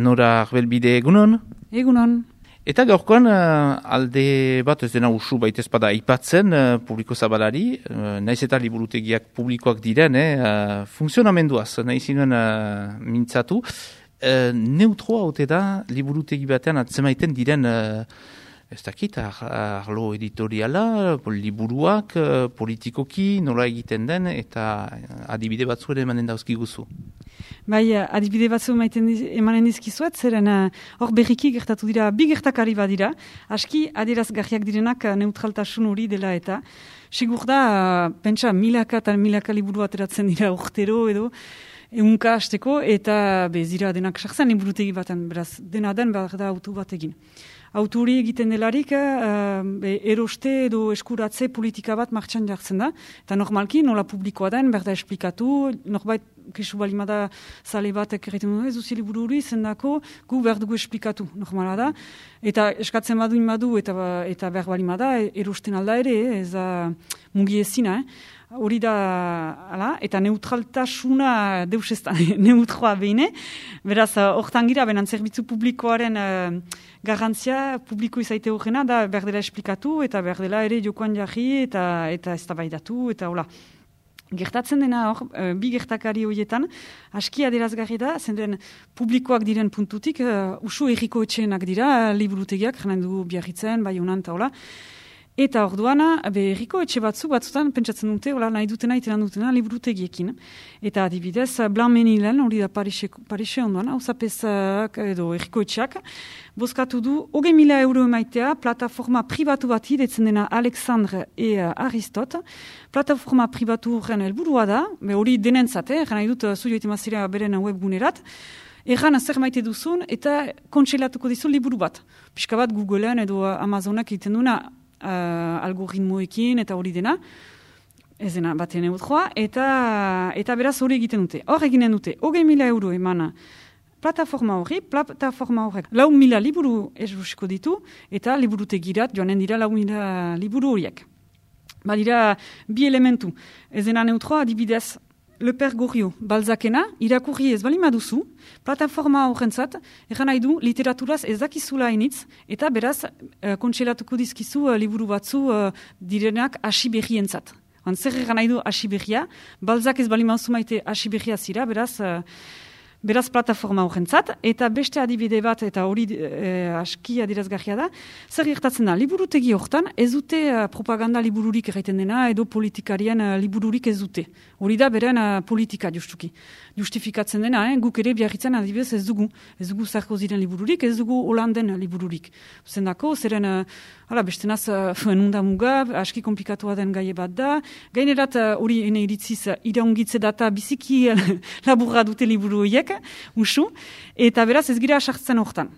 Nora Arbelbide, egunon? Egunon. Eta gaurkoan alde bat ez dena usu baitezpada aipatzen publiko zabalari, naiz eta liburutegiak publikoak diren, funtzionamenduaz, nahi zinuen mintzatu. Neutroa haute da liburutegi batean atzemaiten diren, ez dakit, arlo editoriala, liburuak, politikoki, nola egiten den, eta adibide batzu ere emanen dauzkiguzu. Bai, adibide batzu emanen dizkizuet, zeren hor berriki gertatu dira, bi gertakari badira, aski adierazgarriak direnak neutraltasun hori dela eta sigur da, pentsa, milaka eta milaka liburu ateratzen dira urtero edo, ehunka hasteko, eta bezira denak sartzen liburutegi baten, beraz, dena den behar da autu bat egin. Autu hori egiten delarik, eroste edo eskuratze politika bat martxan jartzen da, eta normalki nola publikoa den, behar da esplikatu, norbait kesu balimada zale bat ekerretu ez duzi liburu hori, zendako gu behar dugu esplikatu, normala da, eta eskatzen badu eta behar balimada, erosten alda ere, ez da mugi ezina, hori da, ala, eta neutraltasuna deus ez da, neutroa behine, beraz, hortan gira, benan zerbitzu publikoaren garantzia, publiko izaite horrena, da behar dela esplikatu, eta behar dela ere jokoan jarri, eta eztabaidatu, eta hola. Gertatzen dena hor, bi gertakari horietan, aski adierazgarri da, zenden publikoak diren puntutik, usu erriko etxeenak dira, liburutegiak, janen dugu Biarritzen, Baionan, eta hola. Eta orduana, herriko etxe batzutan, pentsatzen dute, nahi dutena, itenan dutena, liburutegiekin. Eta adibidez, Blanc-Menilen, hori da Parise ondoan, hauzapezak edo herriko etxeak, bozkatu du, 20.000 euro emaitea, plataforma pribatu bati, detzen dena Alexandre e Aristote. Plataforma pribatu horren helburua da, hori denentzat, nahi dut, zuio etemazira beren webgunerat, erran zer maite duzun, eta kontseilatuko dizu liburu bat. Pixka bat Googlean edo Amazonak egiten duna, algoritmoekin eta hori dena, ez dena batean neutroa, eta beraz hori egiten dute. Hor eginen dute, 20.000 euro emana plataforma horrek 4.000 liburu esrusiko ditu, eta liburutegirat joanen dira 4.000 liburu horiek. Badira bi elementu, ez dena neutroa adibidez, Le Père Goriot, Balzacena, irakurri ez balima duzu, plataforma horrentzat, egan nahi du, literaturaz ez dakizula initz, eta beraz, kontselatuko dizkizu liburu batzu direnak asiberrientzat. Zer egan nahi du asiberria, Balzac ez balima duzu maite asiberria zira, beraz plataforma horrentzat, eta beste adibide bat, eta hori aski adirazgarria da, zer gertatzen da, liburutegi hortan, ez dute propaganda libururik erraiten dena, edo politikarien libururik ez dute. Hori da beren politika justuki. Justifikatzen dena, guk ere Biarritzen adibidez ez dugu Sarkoziren libururik, ez dugu Hollanden libururik. Zendako, zeren, bestenaz, nunda muga, aski komplikatua den gaie bat da, gainerat hori ene iritziz iraungitze data biziki laburra dute liburu horiek, usu, eta beraz ez gira sartzen hortan.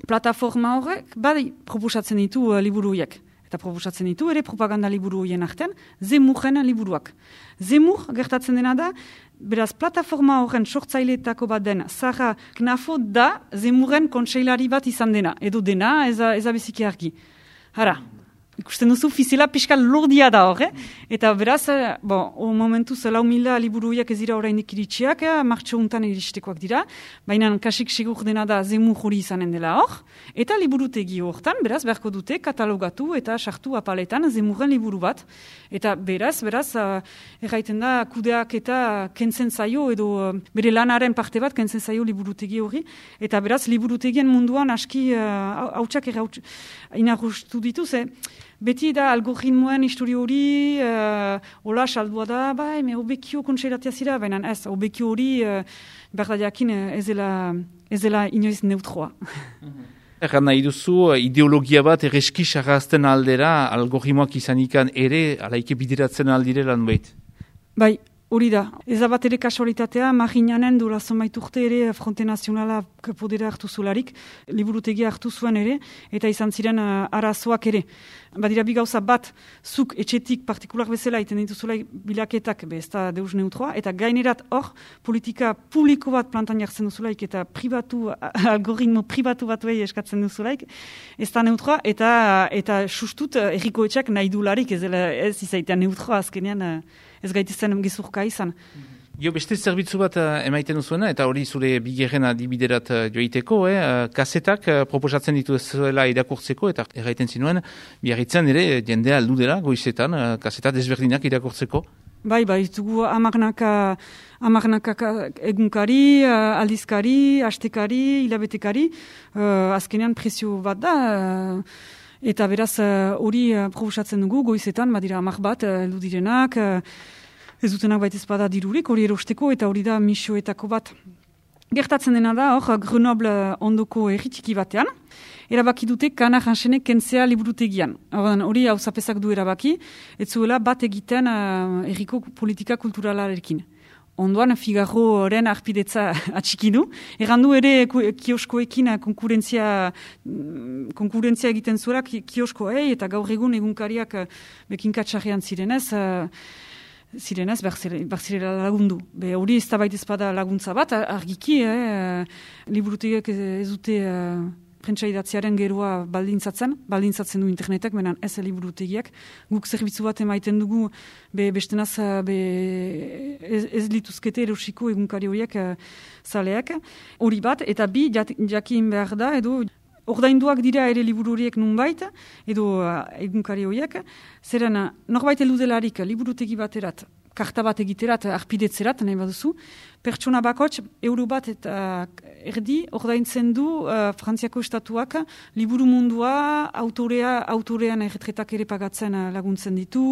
Plataforma horrek, bai proposatzen ditu liburu horiek. Eta proposatzen ditu, ere propaganda liburu horien artean, Zemurren liburuak. Zemur gertatzen dena da, beraz, plataforma horren sortzaileetako bat den, Zara Knafo da Zemurren kontseilari bat izan dena, edo dena, ez abeziki argi. Hara, ikusten duzu, fizela piskal lordia da hor, eta beraz, momentuz 4.000 liburu horiek ez dira orainik iritsiak, martxo untan iristekoak dira, baina kasik sigur dena da Zemur hori izanen dela hor, eta liburutegi hortan, beraz, beharko dute katalogatu eta sartu apaletan Zemurren liburu bat, eta beraz, erraiten da kudeak eta kentzen zaio, edo bere lanaren parte bat kentzen zaio liburutegi hori, eta beraz, liburutegien munduan aski hautsak inarrustu ditu, beti da algoritmoen historio hori, hola saldua da, obekio kontseilatia zira, baina ez, obekio hori, behar da jakin, ez dela inoiz neutroa. Erran nahi duzu, ideologia bat erreski sarrazten aldera, algoritmoak izanikan ere, alaike bideratzen aldirelan behit? Bai, hori da. Ez da bat ere kasualitatea, Marinanen dola zonbait urte ere Fronte Nazionala podera hartu zularik, liburutegia hartu zuen ere, eta izan ziren arazoak ere. Badira bi gauza bat, zuk etxetik partikular bezala iten dituzula bilaketak, ez da deus neutroa, eta gainerat hor, politika publiko bat plantan jartzen duzulaik, eta algoritmo pribatu batuei eskatzen duzulaik, ez da neutroa, eta sustut erriko etxak nahi dularik, ez izaitean neutroa azkenean, ez gaitezen gezurka izan. Jo, beste zerbitzu bat emaiten duzuena, eta hori zure bigarren adibiderat joiteko, kasetak proposatzen dituzuela irakurtzeko, eta erraiten zinuen, biarritzen ere jendea aldu dela goizetan, kaseta desberdinak irakurtzeko. Bai, dugu amarnaka egunkari, aldizkari, astekari, hilabetekari, azkenean prezio bat da, eta beraz hori proposatzen dugu goizetan, badira 10 bat, heldu direnak, ez dutenak baita ezpada dirurik, hori erosteko, eta hori da misioetako bat. Gertatzen dena da, hor, Grenoble ondoko erritiki batean, erabaki dute Kana Jansenek kentzea liburutegian. Hori hauzapezak du erabaki, ez zuela bat egiten erriko politika kulturalarekin. Ondoan Figaroren arpidetza atxikidu. Errandu ere kioskoekin konkurentzia egiten zuela kioskoei, eta gaur egun egunkariak bekinkatxarrean zirenez, berzirela lagundu. Hori ez da baita ezpada laguntza bat, argiki, liburutegiak ez dute prentsa idatziaren geroa baldintzatzen du internetek, menan ez liburutegiak. Guk zerbitzu bat emaiten dugu, bestenaz ez lituzkete erosiko egunkari horiek zaleak. Hori bat, eta bi, jakin behar da, edo ordainduak dira ere liburu horiek nunbait, edo egunkari horiek, zeren norbait eludelarik liburutegi baterat, karta bat egiterat, arpidetzerat, nahi baduzu, pertsona bakots, euro bat eta erdi, ordaintzen du Frantziako estatuak liburu mundua, autorean erretretak ere pagatzen laguntzen ditu,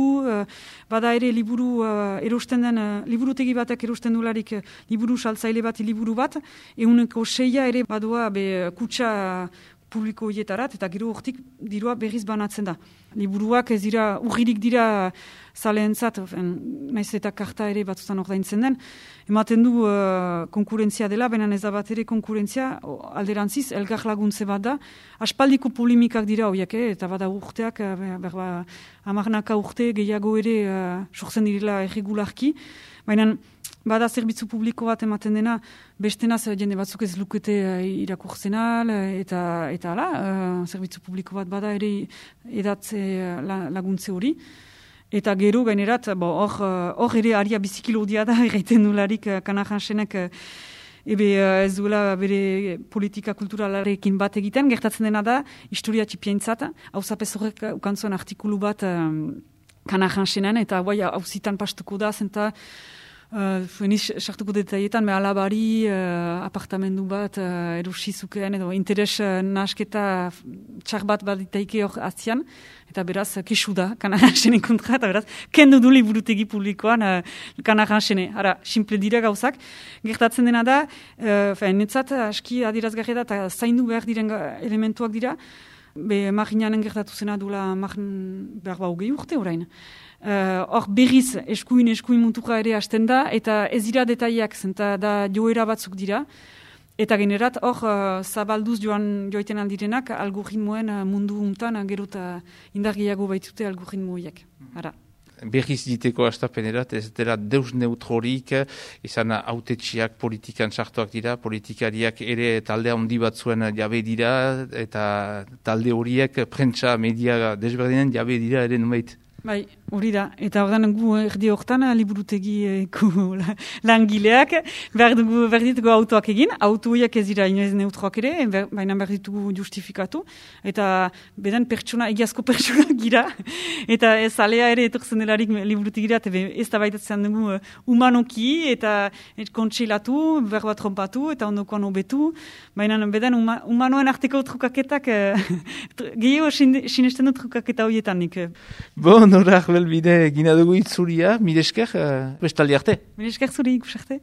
bada ere liburu erosten den, liburutegi batek erosten dularik liburu saltzaile bat, liburu bat, 6% ere badua kutsa publiko hietarat, eta gero hortik dirua berriz banatzen da. Liburuak ez dira, urririk dira zaleentzat, naiz eta karta ere batzutan ordaintzen den, ematen du konkurentzia dela, benen ez da bat ere konkurentzia, alderantziz, elgar laguntze bat da, aspaldiko polimikak dira horiek, eta bada urteak, 10 urte gehiago ere sortzen direla erregularki, baina bada zerbitzu publiko bat ematen dena, bestenaz jende batzuk ez lukete irakurtzenal, eta ala, zerbitzu publiko bat bada ere edatze laguntze hori. Eta gero gainerat, hor ere aria bizikilodia da, erraiten nularik Kana Jansenek ez duela bere politika kulturalarekin bat egiten, gertatzen dena da, historia txipientzat, hauzapez horrek ukantzuen artikulu bat Kana Jansenan, eta hauzitan pastuko da, zenta Fueniz sartuko detaietan, alabari apartamendu bat erosizukeen edo interes nasketa txar bat ditaike hor atzian, eta beraz kesu da Kana Jansenen kontra, eta beraz kendu du liburutegi publikoan Kana Jansene. Hara, simple dira gauzak. Gertatzen dena da, netzat aski adierazgarri da, eta zaindu behar diren elementuak dira, marginanen gertatu zena duela behar hogei urte orain. Hor berriz eskuin muntuka ere hasten da, eta ez dira detaiak, zenta da joera batzuk dira, eta generat hor zabalduz joiten aldirenak algoritmoen mundu untan gerota indargiago baitute algoritmoiek. Berriz diteko astapenerat, ez dela deus neutrorik, izan autetxiak politikan sartuak dira, politikariak ere talde handi batzuen jabe dira, eta talde horiek prentsa media desberdinen jabe dira ere numeit. Bai, hori da. Eta ordan gu erdi hortan liburutegiko langileak behar ditugu autoak egin. Autoiak ez dira inoiz neutroak ere, baina behar ditugu justifikatu. Eta beden egiazko pertsona gira. Eta ez alea ere etortzen delarik liburutegira, ez da baitatzen dugu humanoki eta kontseilatu, behar bat trompatu eta ondokoan hobetu. Baina beden humanoen arteko trukaketak gehiago sinesten du trukaketa horietan nik. Bon, horak belbide gina dugu itzuria, mire esker, bestaldi arte. Mire esker zuri ikusarte.